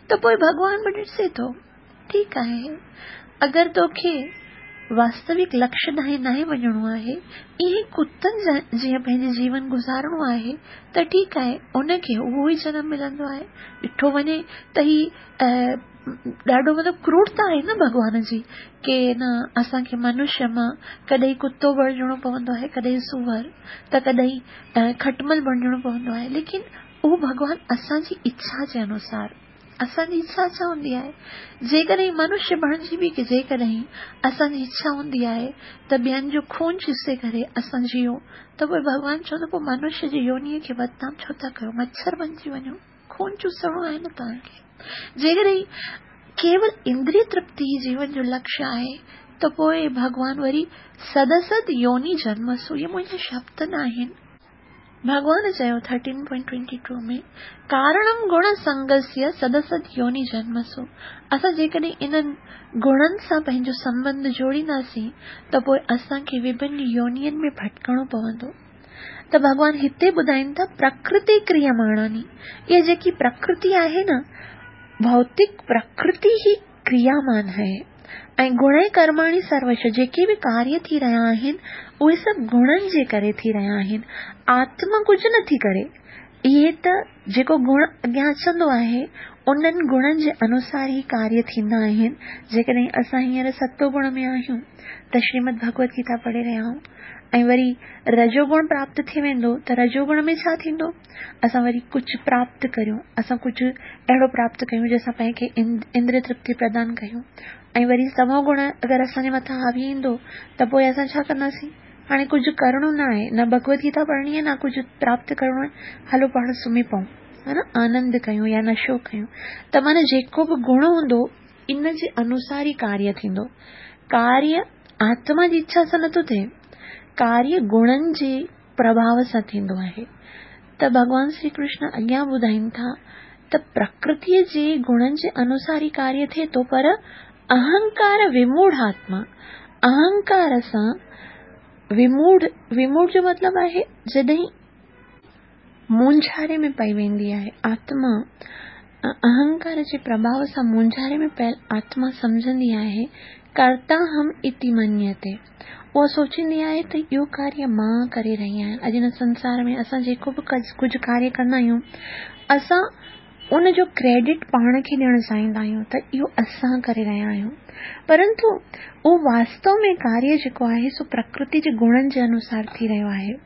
ته پوء ڀڳوان به ڏسي ٿو، ٺيڪ آهي، اگر توکي واستوڪ لڪشيه ڏانهن ناهي وڃڻو آهي، ائين ئي ڪتن جيئن پنهنجو جيون گذارڻو آهي ته ٺيڪ آهي، ان کي اهو ئي جنم ملندو آهي. ڏٺو وڃي ته هي ڏاڍو مطلب ڪرورتا آهي نه ڀڳوان جي ڪي نه اسان کي منشيه مان ڪڏهن ڪتو بڻجڻو پوندو آهي، ڪڏهن سوئر ته ڪڏهن کٽمل بڻجڻو پوندو آهي، ليڪن اهو ڀڳوان اسان جي اڇا جي انوسار. اسان جي اڇا ڇا هوندي آهي؟ جيڪڏهن منشيه بڻجي به جيڪڏهن اسان جي اڇا هوندي آهي ته ٻين جو خون چوسي ڪري اسان جيئون ته پوءِ ڀڳوان چوندو پوءِ منشيه جي يونيءَ کي بدنام ڇو ٿا ڪيو؟ مڇر بڻجي وڃو، خون چوسڻو آهي نه توهان کي. جيڪڏهن ڪيول اندريه ترپتي جيون جو لڪشيه آهي ته پوءِ ڀڳوان وري سدسد يوني جنمسو، اهي منهنجا شبد نه آهن. ڀڳوان چيو ٿرٽين پوائنٽ ٽوئنٽي ٽو ۾ ڪارڻم گڻ سنگسيه سدسد يوني جنمسو. اسان جيڪڏهن انهن گڻن سان پنهنجو سنٻنڌ جوڙينداسين ته پوءِ اسان کي وڀن يونين ۾ ڀٽڪڻو پوندو. ته ڀڳوان هتي ٻڌائين ٿا پرڪرتي ڪرياماڻاني، اها جيڪي پرڪرتي آهي نه، ڀوتڪ پرڪرتي ئي ڪريامان آهي ۽ گڻ ڪرماڻي سروش، جيڪي به ڪاريه ٿي رهيا آهن اهي سڀ گڻن جي ڪري ٿي رهيا آهن. آتما ڪجهه نٿي ڪري، اهي ته جيڪو گڻ اڳيان اچندو آهي انهن گڻن جي انوسار ئي ڪاريه ٿيندا آهن. جيڪڏهن اسان هينئر ستو گڻ ۾ آهيون ته شريمد ڀڳوت گيتا پڙهي رهيا آهيون ۽ وري رجوگڻ پراپت ٿي ويندو ته رجوگڻ ۾ ڇا ٿيندو؟ اسان وري ڪجهه پراپت ڪريون، اسان ڪجهه اهڙو پراپت ڪيون جنهن سان پنهن کي اندريه ترپتي پردان ڪيون. ۽ وري تمو گڻ اگر اسان جي مٿان حاوي ايندو ته پوءِ اسان ڇا ڪنداسين؟ هاڻي ڪجهه ڪرڻو نه آهي، نه ڀڳوت گيتا پڙهڻي آهي، نه ڪجهه پراپت ڪرڻو آهي، هلو پاڻ سمهي پئون، ها نه، آنند ڪيون يا نشو ڪيون. ته معنيٰ جيڪو به گڻ هوندو ان جي انوسار ئي ڪاريه ٿيندو. ڪاريه آتما جي اڇا سان نٿو ٿئي، ڪاريه گڻن جي پرڀاو سان ٿيندو آهي. ته ڀڳوان شري ڪرشن اڳيان ٻڌائين ٿا ته پرڪرتيءَ جي گڻن جي انوسار ئي ڪاريه ٿئي ٿو، پر اهنڪار وموڙهه آتما، اهنڪار سان وموڙهه، وموڙهه جو مطلب آهي جڏهن مونجهاري ۾ پئي ويندي آهي آتما، اهنڪار جي پرڀاو سان مونجهاري ۾ پيل آتما سمجهندي آهي ڪرتا هم اتي منيتي، اها سوچيندي آهي ته اهو ڪاريه مان ڪري رهي آهيان. اڄ هن سنسار ۾ اسان جيڪو به ڪجهه ڪاريه ڪندا آهيون اسان ان جو ڪريڊٽ پاڻ کي ڏيڻ چاهيندا آهيون ته اهو اسان ڪري رهيا آهيون، پرنتو اهو واستو ۾ ڪاريه جيڪو آهي سو پرڪرتي جي گڻن جي انوسار ٿي رهيو آهي.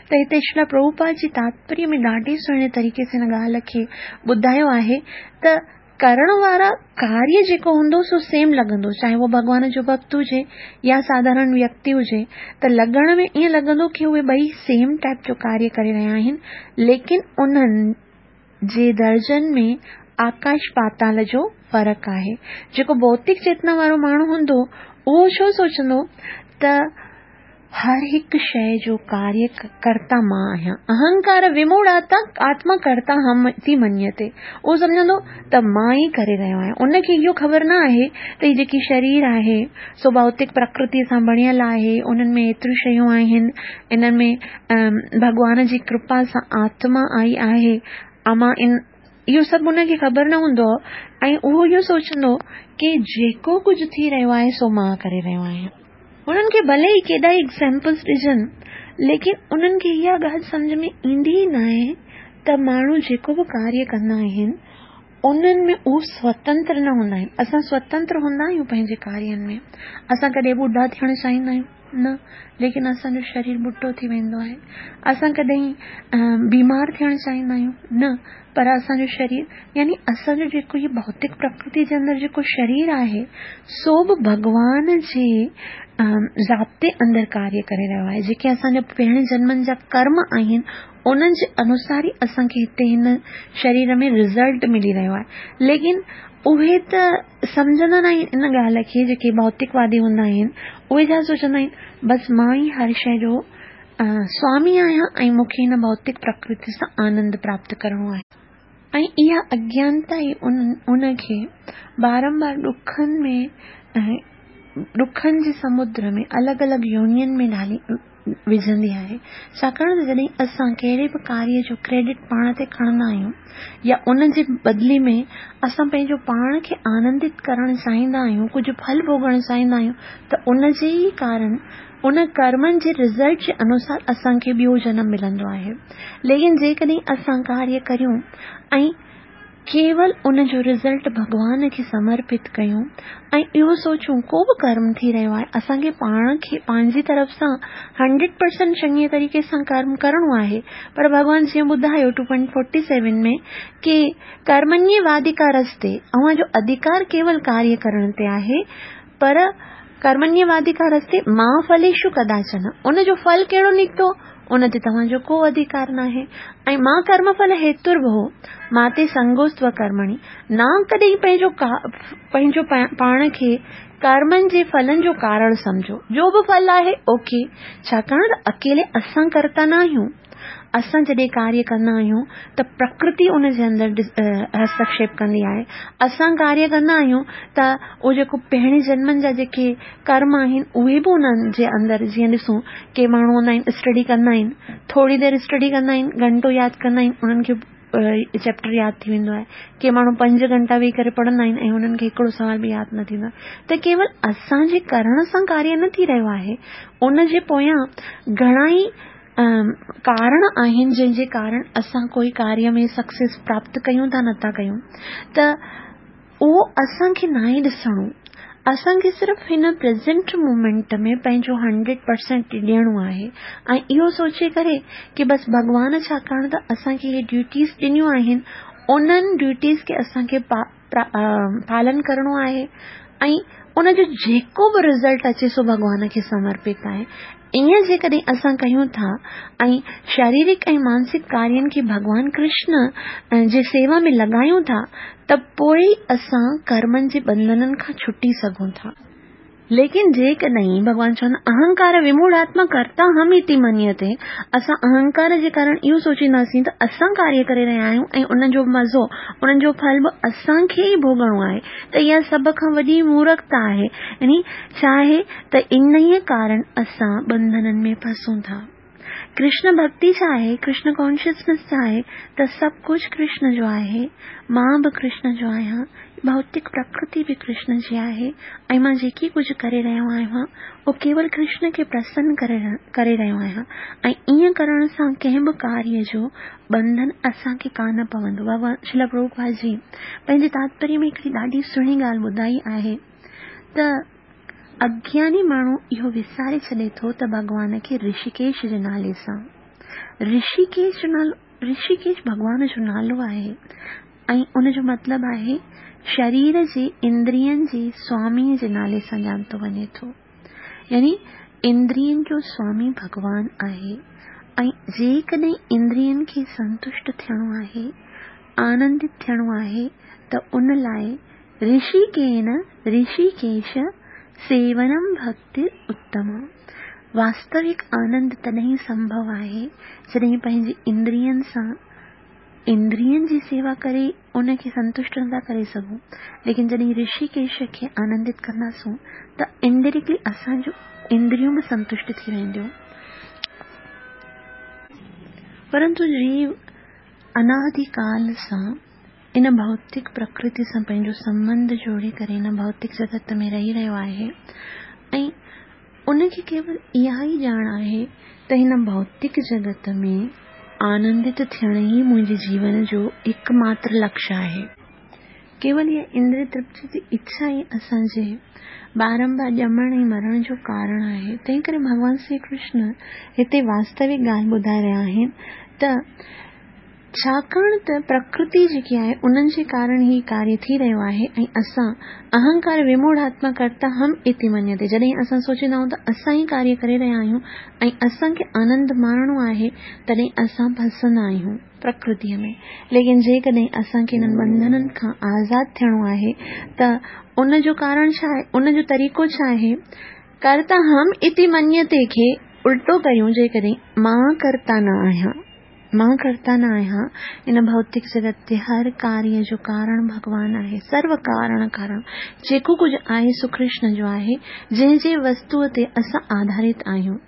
ته هتي شريلا پرڀوپاد جي تاتپريه ۾ ڏاڍي سهڻي طريقي سان هن ڳالهه کي ٻڌايو آهي ته ڪرڻ وارا ڪاريه جيڪو هوندو سو سيم لڳندو، چاهي اهو ڀڳوان جو ڀڪت هجي يا ساڌارڻ ويڪتي هجي، ته لڳڻ ۾ ائين لڳندو ڪه اهي ٻئي سيم ٽائپ جو ڪاريه ڪري رهيا آهن، ليڪن انهن جي درجن ۾ آڪاش پاتال جو فرق آهي. جيڪو ڀوتڪ چيتنا وارو ماڻهو هوندو اهو ڇو سوچندو ته هر هڪ شيءِ جو ڪاريه ڪرتا مان آهيان، اهنڪار وموڙهه آتما ڪرتا هم ٿي منيتي، اهو سمجهندو ته مان ئي ڪري رهيو آهيان. ان کي اهو خبر نه آهي ته هي جيڪي شرير آهي سو ڀوتڪ پرڪرتيءَ سان بڻيل آهي، انهن ۾ ايتريون شيون آهن، انهن ۾ ڀڳوان جي ڪرپا سان آتما آئي آهي، اما ان اهو سڀ ان کي خبر نه هوندو ۽ اهو اهو سوچندو ڪه جيڪو ڪجهه ٿي رهيو آهي سو مان ڪري رهيو آهيان. هنن کي ڀلي ئي ڪيڏا ئي ايگزامپلس ڏجن، ليڪن انهن کي اها ڳالهه سمجهه ۾ ايندي ئي نه آهي ته ماڻهو جيڪو به ڪاريه ڪندا آهن انهن ۾ اهو سوتنتر نه هوندا آهن. اسان سوتنتر هوندا آهيون پنهنجي ڪارين ۾، اسان ڪڏهن ٻڍا ٿيڻ چاهيندا آهيون نه، ليڪن اسان جو شرير ٻڍو ٿي ويندو آهي. اسان ڪڏهن بيمار ٿيڻ چاهيندا آهيون نه، پر اسان جو شرير يعني اسان جو جيڪو هي ڀوتڪ پرڪرتي جي اندر جيڪو شرير آهي سو به ڀڳوان جي ضابطي اندر ڪاريه ڪري رهيو آهي. جيڪي اسان جا پهرين جنمن جا ڪرم آهن انهن جي انوسار ئي اسان کي هتي هن شرير ۾ رزلٽ ملي رهيو آهي. ليڪن اهي ته سمجهندا نه آهن ان ڳالهه کي، جيڪي ڀوتڪوادي هوندا آهن اهي ڇا سوچندا آهن، بس مان ئي هر شيءِ جو سوامي آهيان ۽ مون کي هن ڀوتڪ پرڪرتي سان آنند پراپت ڪرڻو آهي. ۽ اها اگيانتا ئي ان کي بارمبار ڏکن ۾ ڏکن جي سمدر ۾ الڳ الڳ يونين ۾ ڍالي وجهندي آهي. ڇاڪاڻ ته جڏهن اسان ڪهڙي به ڪاريه جو ڪريڊٽ پاڻ تي کڻندا آهيون يا ان جي بدلي ۾ اسان پنهنجو پاڻ کي آنندت ڪرڻ چاهيندا آهيون، ڪجهه ڦل ڀوڳڻ چاهيندا آهيون ته ان جي ئي ڪارڻ ان ڪرمن جي رزلٽ جي انوسار اسان کي ٻيو جنم ملندو آهي. ليڪن جيڪڏهن اسان ڪاريه ڪريون ۽ ڪيول ان جو رزلٽ ڀڳوان کي سمرپت ڪيون ۽ اهو سوچون ڪو به ڪرم ٿي رهيو آهي، اسان کي پاڻ کي پنهنجي طرف سان هنڊريڊ پرسنٽ چڱي طريقي سان ڪرم ڪرڻو آهي، پر ڀڳوان جيئن ٻڌايو ٽو پوائنٽ فورٽي سيون ۾ ڪي ڪرمنيواڌڪارستي، اوهان جو اڌڪار ڪيول ڪاريه ڪرڻ تي آهي، پر ڪرمنيواڌڪارستي ما ڦليشو ڪداچن، ان جو ڦل ڪهڙو نڪتو ان تي توهان جو ڪو اڌڪار ناهي. ۽ ما ڪرم ڦل هيتر ڀو ماتي سنگوستو ڪرمڻي، نه ڪڏهن پنهنجو پنهنجو پاڻ کي ڪرمن جي ڦلن جو ڪارڻ سمجهو، جو به ڦل آهي اوڪي، ڇاڪاڻ ته اڪيلي اسان ڪرتا نه آهيون. اسان جڏهن ڪاريه ڪندا آهيون ته پرڪرتي ان جي اندر هستڪشيپ ڪندي آهي. اسان ڪاريه ڪندا آهيون ته اهو جيڪو پهرين جنمن جا جيڪي ڪرم آهن اهي به انهن جي اندر، جيئن ڏسون ڪي ماڻهو هوندا آهن اسٽڊي ڪندا آهن، ٿوري دير اسٽڊي ڪندا آهن، گهنٽو ياد ڪندا آهن، انهن کي چيپٽر ياد ٿي ويندو آهي. ڪي ماڻهو پنج گهنٽا ويهي ڪري پڙهندا آهن ۽ انهن کي هڪڙو سوال به ياد نه ٿيندو آهي. ته ڪيول اسان جي ڪرڻ سان ڪاريه نه ٿي رهيو آهي، ان جي پويان گهڻا ئي ڪارڻ آهن جنهن جي ڪارڻ اسان ڪوئي ڪاريه ۾ سڪسيس پراپت ڪيون ٿا نٿا ڪيون. ته اهو اسان کي ناهي ڏسڻو، اسان کي صرف هن پريزنٽ مومينٽ ۾ پنهنجو هنڊريڊ پرسنٽ ڏيڻو آهي ۽ اهو سوچي ڪري ڪي بس ڀڳوان ڇاڪاڻ ته اسان کي اهي ڊيوٽيز ڏنيون آهن، انهن ڊيوٽيز کي اسان کي پالن ڪرڻو آهي ۽ ان جو جيڪو به رزلٽ اچي سو ڀڳوان کي سمرپت آهي. ائين جيڪڏهن اسان ڪيون ٿا ۽ شاريرڪ ۽ مانسڪ ڪارين کي ڀڳوان ڪرشن جي سيوا ۾ لڳايون ٿا ته پوءِ اسان ڪرمن جي ٻنڌنن کان ڇٽي سگهون ٿا. ليڪن جيڪڏهن ڀڳوان چوندا اهنڪار وموڙهاتما ڪرتا هم اتي منيتي، اسان اهنڪار جي ڪارڻ اهو سوچينداسين ته اسان ڪاريه ڪري رهيا آهيون ۽ ان جو مزو ان جو ڦل به اسان کي ئي ڀوڳڻو آهي، ته اها سڀ کان وڏي مورکتا آهي. يعني ڇا آهي ته انهيء ڪارڻ اسان ٻنڌنن ۾ ڦسون ٿا. ڪرشن ڀڳتي ڇا آهي، ڪرشن ڪانشسنيس ڇا آهي، ته سڀ ڪجهه ڪرشن جو آهي، مان به ڪرشن جو آهيان، ڀوتڪ پرڪرتي به ڪرشن جي آهي ۽ مان جيڪي ڪجهه ڪري رهيو آهيان اهو ڪيول ڪرشن کي پرسن ڪري رهيو آهيان ۽ ائين ڪرڻ سان ڪنهن به ڪاريه جو ٻنڌن اسان کي ڪانه پوندو. ڀڳوان شريل پرڀوپاد جي پنهنجي تاتپريه ۾ هڪڙي ڏاڍي سهڻي ڳالهه ٻڌائي آهي ته اگياني ماڻهو اهو وساري ڇڏي ٿو ته ڀڳوان کي رشيڪيش جي نالي سان، رشيڪيش جو نالو، رشيڪيش ڀڳوان جو نالو آهي ۽ ان جو مطلب آهي شرير جي اندرين جي سوامي جي نالي سان ڄاتو وڃي ٿو. يعني اندرين جو سوامي ڀڳوان آهي ۽ جيڪڏهن اندرين کي سنتشٽ ٿيڻو آهي، آنندت ٿيڻو آهي ته ان لاءِ رشيڪين رشيڪيش سيونم ڀڳتي اتم. واستوڪ آنند تڏهن سنڀو آهي جڏهن پنهنجي اندرين سان اندرين جي سيوا ڪري ان کي سنتشٽ نٿا ڪري سگهون، ليڪن جڏهن رشيڪيش کي آنندت ڪنداسون ته انڊائريڪٽلي اسان جون اندريون به سنتشٽ ٿي وينديون. پرنتو جيو انادي ڪال سان ان ڀوتڪ پرڪرتي سان پنهنجو سنٻنڌ جوڙي ڪري هن ڀوتڪ جڳت ۾ رهي رهيو آهي ۽ ان کي ڪيول اها ئي ڄاڻ آهي ته هن ڀوتڪ جڳت ۾ آنندت ٿيڻ ئي منهنجي جيون جو هڪ ماتر لڪشيه آهي. ڪيول اها اندريه ترپتي جي اڇا ئي اسان جي بارمبار ڄمڻ ۽ مرڻ جو ڪارڻ آهي. تنهن ڪري ڀڳوان شري ڪرشن هتي واستوڪ ڳالهه ٻڌائي رهيا آهن ته ڇاڪاڻ ته پرڪرتي جيڪي آهي انهن جي ڪارڻ هي ڪاريه ٿي رهيو آهي ۽ اسان اهنڪار وموڙهاتما ڪرتا هم اتي مڃيتي، جڏهن اسان سوچيندا آهيون ته اسان ئي ڪاريه ڪري رهيا آهيون ۽ اسان کي آنند ماڻڻو آهي تڏهن اسان ڦسندا آهيون پرڪرتيءَ ۾. ليڪن جيڪڏهن اسان کي هنن ٻنڌنن کان آزاد ٿيڻو آهي ته ان جو ڪارڻ ڇا آهي، ان جو طريقو ڇا آهي؟ ڪرتا هم اتي مڃيتي کي الٽو ڪريون، جيڪڏهن مان ڪرتا نه آهيان، مان ڪرتا نه آهيان، هن ڀوتڪ جڳت تي هر ڪاريه جو ڪارڻ ڀڳوان آهي، سرو ڪارڻ ڪارڻ جيڪو ڪجهه آهي سو ڪرشن جو آهي، جنهن جي وستوءَ تي اسان آڌارت آهيون.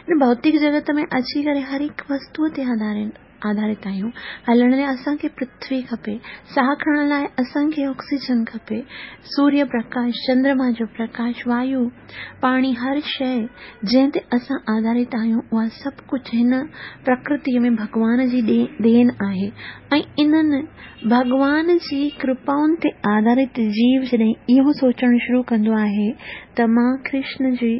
هن ڀوتڪ جڳت ۾ اچي ڪري هر هڪ وستوءَ تي آڌارت آڌارت آهيون. هلڻ لاءِ اسان کي پرٿوي کپي، ساهه کڻڻ لاءِ اسان کي آڪسيجن کپي، سوريه پرڪاش، چندرما جو پرڪاش، وايو، پاڻي، هر شيءِ جنهن تي اسان آڌارت آهيون اها سڀ ڪجهه هن پرڪرتيءَ ۾ ڀڳوان جي دين آهي. ۽ انهن ڀڳوان جي ڪرپائن تي آڌارت جيو جڏهن اهو سوچڻ شروع ڪندو آهي ته مان ڪرشن جي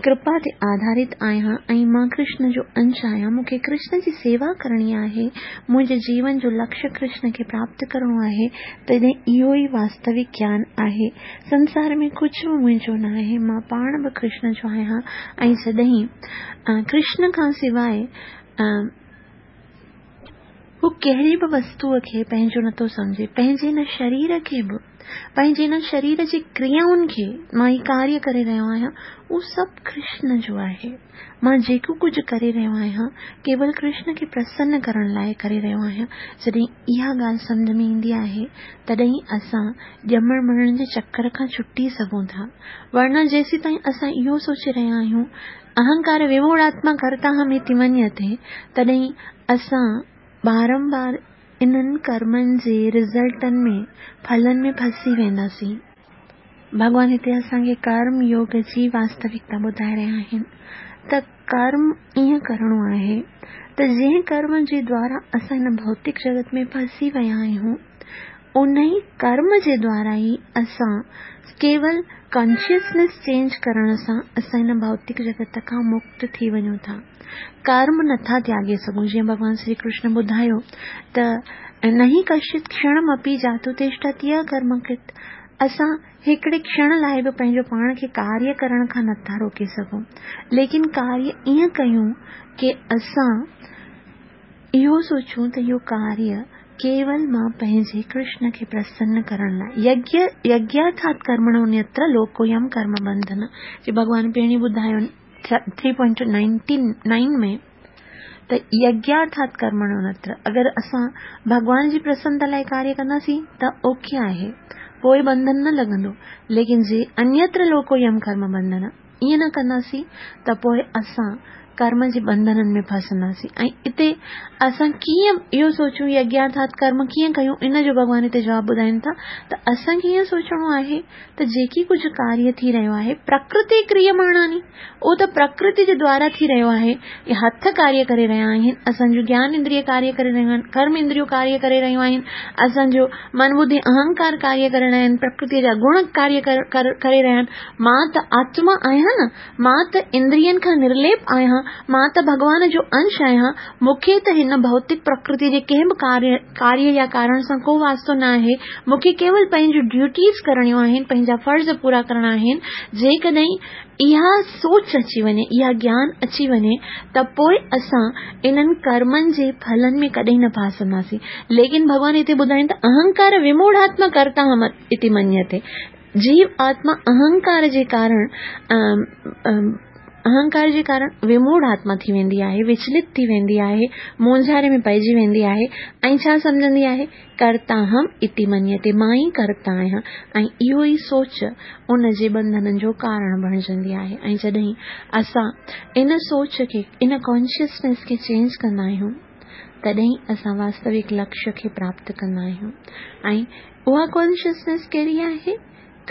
ڪرپا تي آڌارت آهيان ۽ مان ڪرشن جو انش آهيان، مون کي ڪرشن جي سيوا ڪرڻي آهي، منهنجي جيون جو لڪشيه ڪرشن کي پراپت ڪرڻو آهي، تڏهن اهو ئي واستوڪ گيان آهي. سنسار ۾ ڪجهه به منهنجو نه آهي، مان پاڻ به ڪرشن جو آهيان. ۽ جڏهن ڪرشن کان سواءِ هو ڪهڙي به وستوءَ کي پنهنجو نٿو سمجهي، پنهنجي هن شرير کي به، پنهنجي هن شرير جي ڪريائن کي، مان هي ڪاريه ڪري رهيو آهيان اهو سڀ ڪرشن جو آهي. مان جيڪو ڪجهه ڪري رهيو آهيان ڪيول ڪرشن کي پرسن ڪرڻ لاءِ ڪري رهيو آهيان. جڏهن اها ڳالهه سمجهه ۾ ايندي آهي تڏهن اسان ڄمڻ مرڻ جي چڪر کان ڇٽي سگهون ٿا. ورنه جيسين تائين اسان اهو سوچي رهيا آهيون اهنڪار وموڙاتما ڪرتا هم اتي مڃيتي، تڏهن اسان بارمبار انهن ڪرمن جي رزلٽن ۾ ڦلن ۾ ڦسي وينداسين. ڀڳوان هتي اسان کي ڪرم يوگ جي واستوڪتا ٻڌائي رهيا آهن ته ڪرم ائين ڪرڻو آهي ته جنهن ڪرم جي دوارا اسان هن ڀوتڪ جڳت ۾ ڦسي ويا آهيون ان ئي ڪرم جي دوارا ئي اسان ڪيول ڪانشسنيس چينج ڪرڻ سان اسان هن ڀوتڪ جڳت کان مڪت ٿي وڃون ٿا. ڪرم نٿا تياڳي سگهون. جيئن ڀڳوان شري ڪرشن ٻڌايو ته نهي ڪشچت ڪشڻمپي جاتو تشٺتي اڪرمڪرت، اسان هڪڙي ڪشڻ لاءِ به پنهنجو پاڻ کي ڪاريه ڪرڻ کان نٿا روڪي سگهون، ليڪن ڪاريه ائين ڪيون ڪه اسان اهو سوچون ته اهو ڪاريه ڪيول مان پنهنجي ڪرشن کي پرسن ڪرڻ لاءِ، يگيه يگيارٿات ڪرمڻوऽन्यत्र لوڪوऽयं ڪرم بنڌن، جي ڀڳوان پهرين ٻڌايو ٿري پوائنٽ نائنٽين نائن ۾ ته يگيارٿات ڪرمڻوऽन्यत्र، اگر اسان ڀڳوان جي پرسنتا لاءِ ڪاريه ڪنداسين ته اوڪي آهي، پوءِ بنڌن نه لڳندو. ليڪن جي انيتر لوڪوऽयं ڪرم بنڌن ائين نه ڪنداسين ته پوءِ اسان ڪرم جي بنڌنن ۾ ڦسنداسين. ۽ هتي اسان ڪيئن اهو سوچون يگيارٿات ڪرم ڪيئن ڪيون، ان جو ڀڳوان هتي جواب ٻڌائين ٿا ته اسان کي ائين سوچڻو آهي ته جيڪي ڪجهه ڪاريه ٿي رهيو آهي پرڪرتي ڪريماڻاني، اهو ته پرڪرتي جي دوارا ٿي رهيو آهي. اهي هٿ ڪاريه ڪري رهيا آهن، اسان جو گيان اندريه ڪاريه ڪري رهيون آهن، ڪرم اندريون ڪاريه ڪري رهيون آهن، اسان جو من ٻڌي اهنڪار ڪاريه ڪري رهيا آهن، پرڪرتيءَ جا گڻ ڪاريه ڪري رهيا آهن. مان ته آتما آهيان نه، مان ته اندرين کان نرليپ آهيان، مان ته ڀڳوان جو انش آهيان، مون کي ته هن ڀوتڪ پرڪرتي جي ڪنهن به ڪاريه ڪاريه يا ڪارڻ سان ڪو واسطو نه آهي. مون کي ڪيول پنهنجون ڊيوٽيز ڪرڻيون آهن، پنهنجا فرض پورا ڪرڻا آهن. جيڪڏهن اها سوچ اچي وڃي، اها گيان اچي وڃي ته پوءِ اسان انهن ڪرمن جي ڦلن ۾ ڪڏهن نه ڦاسنداسين. ليڪن ڀڳوان هتي ٻڌائين ته اهنڪار وموڙاتما ڪرتا هم اتي مڃيتي، جيو آتما اهنڪار جي ڪارڻ اهنڪار جي ڪارڻ وموڙ آتما ٿي ويندي آهي، وچلت ٿي ويندي آهي، مونجهاري ۾ پئجي ويندي آهي ۽ ڇا سمجهندي آهي ڪرتا هم اتي مڃيتي، مان ئي ڪرتا آهيان. ۽ اهو ئي سوچ ان جي بنڌنن جو ڪارڻ بڻجندي آهي. ۽ جڏهن اسان ان سوچ کي، ان ڪانشسنيس کي چينج ڪندا آهيون تڏهن اسان واستوڪ لڪشيه کي پراپت ڪندا آهيون. ۽ اها ڪانشسنيس ڪهڙي آهي؟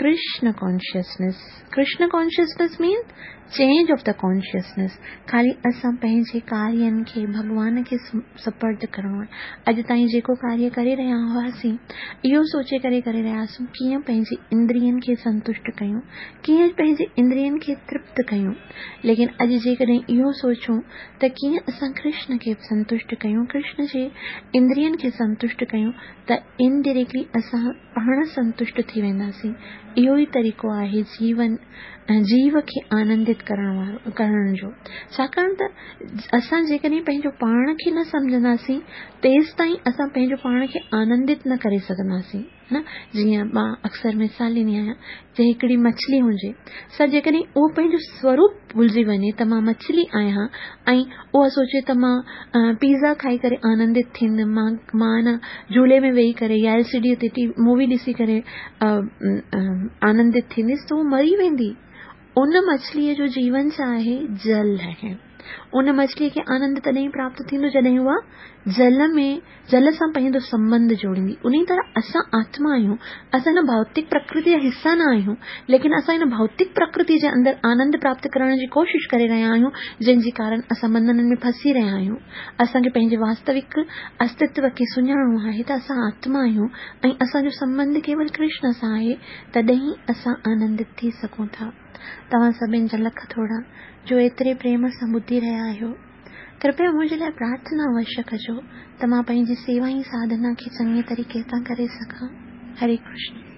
Krishna consciousness. Krishna consciousness means change of the consciousness. خالي اسان پنهنجي ڪارين کي ڀڳوان کي سپرد ڪرڻو آهي. اڄ تائين جيڪو ڪاريه ڪري رهيا هئاسين اهو سوچي ڪري ڪري رهياسين ڪيئن پنهنجي اندرين کي سنتشٽ ڪيون، ڪيئن پنهنجي اندرين کي ترپت ڪيون. ليڪن اڄ جيڪڏهن اهو سوچون ته ڪيئن اسان ڪرشن کي سنتشٽ ڪيون، ڪرشن جي اندرين کي سنتشٽ ڪيون، ته انڊائريڪٽلي اسان پاڻ سنتشٽ ٿي وينداسين. اهو ئي طريقو آهي جيون جيو کي آنندت ڪرڻ وارو ڪرڻ جو. ڇاڪاڻ ته اسان جيڪڏهن پنهنجو پاڻ کي نه سمجهنداسين تيستائين اسان پنهنجو پاڻ کي آنندت نه ڪري سگهنداسين نه. جيئن مان اڪثر مثال ڏيندي آهيان، جي هڪڙي مڇلي هجي سا جيڪڏهن اهو پنهنجو سوروپ ڀلجي وڃي ته مان مڇلي آهيان ۽ اها سوچي ته مان پيزا کائي ڪري آنندت ٿيندم، مان مان نه جهولي ۾ ويهي ڪري يا ايل سي ڊي تي ٽي مووي ڏسي ڪري آنندت ٿيندس ته اهو مري ويندي. ان مڇليءَ جو جيون ڇا آهي؟ جل آهي. ان مڇليءَ کي آنند تڏهن پراپت ٿيندو جڏهن اها جل ۾ جل سان پنهنجو سنٻنڌ جوڙيندي. ان طرح اسان آتما آهيون، اسان هن ڀوتڪ پرڪرتي جا حصا نه آهيون، ليڪن اسان هن ڀوتڪ پرڪرتي جي اندر آنند پراپت ڪرڻ جي ڪوشش ڪري رهيا آهيون، جنهن جي ڪارڻ اسان بنڌنن ۾ ڦسي رهيا آهيون. اسان کي پنهنجي واستوڪ استتو کي سڃاڻڻو آهي ته اسان آتما آهيون ۽ اسان جو سنٻنڌ ڪيول ڪرشن سان آهي، تڏهن ئي اسان آنندت ٿي سگهون ٿا. توهان سڀني جا لک ٿورا جو ايتري پريم سان ٻڌي رهيا آهيو. ڪرپيا منهنجي لاءِ پرارٿنا اوشيه ڪجو ته مان پنهنجي سيوا ۽ ساڌنا کي چڱي طريقي سان ڪري سگهان. هري ڪرشن.